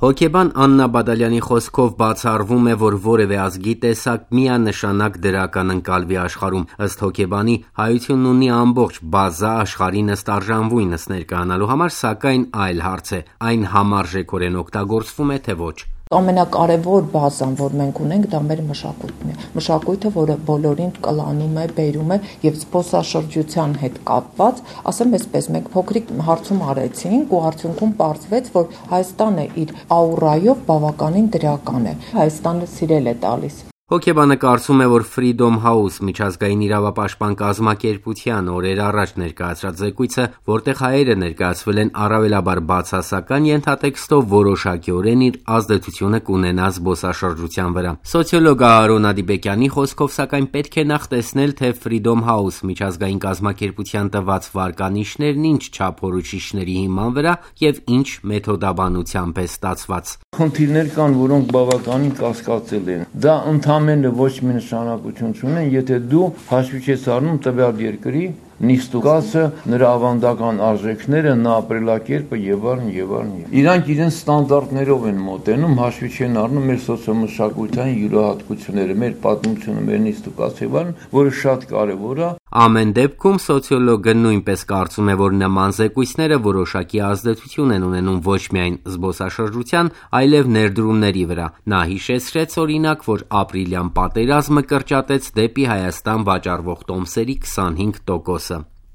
Հոգեբան Աննա Բադալյանի խոսքով բացառվում է, որ որևէ ազգի տեսակ միանշանակ դրական ընկալվի աշխարհում։ Ըստ հոգեբանի, հայությունն ունի ամբողջ բազա աշխարհին ըստ արժանվույնս ներկայանալու համար, սակայն այլ հարց է՝ այն համարժեքորեն օգտագործվում է, թե ոչ։ Ամենակարևոր բազան, որ մենք ունենք, դա մեր մշակույթն է։ Մշակույթը, որը բոլորին կլանում է, բերում է եւ զբոսաշրջության հետ կապված, ասեմ այսպես, մենք փոքրիկ հարցում արեցինք ու արդյունքում պարզվեց, որ Հայաստանը իր աուրայով բավականին դրական է։ Հայաստանը սիրել է տալիս։ Հոգեբանը կարծում է, որ Freedom House միջազգային իրավապաշտպան կազմակերպության օրեր առաջ ներկայացրած զեկույցը, որտեղ հայերը ներկայացվել են առավելաբար բացասական ենթատեքստով, որոշակիորեն իր ազդեցությունը կունենա զբոսաշրջության վրա։ Սոցիոլոգ Արոն Ադիբեկյանի խոսքով, սակայն պետք է նախ տեսնել, թե Freedom House միջազգային կազմակերպության տված վարկանիշներն ինչ չափորոշիչների հիման վրա եւ ինչ մեթոդաբանությամբ է ստացված։ Խնդիրներ կան, որոնք բավականին կասկածել են։ Դա ընդամենը ոչ մի նշանակություն չունեն, եթե դու հաշվի չես առնում տվյալ երկրի նիստուկացը, նրա ավանդական արժեքները, նա ապրելակերպը եւ այլն եւ այլն։ Իրանք իրենց ստանդարտներով են մոտենում, հաշվի չեն առնում մեր սոցիոմշակութային յուրահատկությունները, մեր պատմությունը, մեր նիստուկացը եւ այլն, որը շատ կարեւոր է։ Ամեն դեպքում սոցիոլոգը նույնպես կարծում է, որ նման զեկույցները որոշակի ազդեցություն են ունենում ոչ միայն զբոսաշրջության, այլև ներդրումների վրա։ Նա հիշեցրեց օրինակ, որ ապրիլյան պատերազմը կրճատեց դեպի Հայաստան վաճառվող տոմսերի 25%։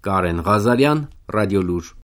Կարեն Ղազարյան, Ռադիոլուր։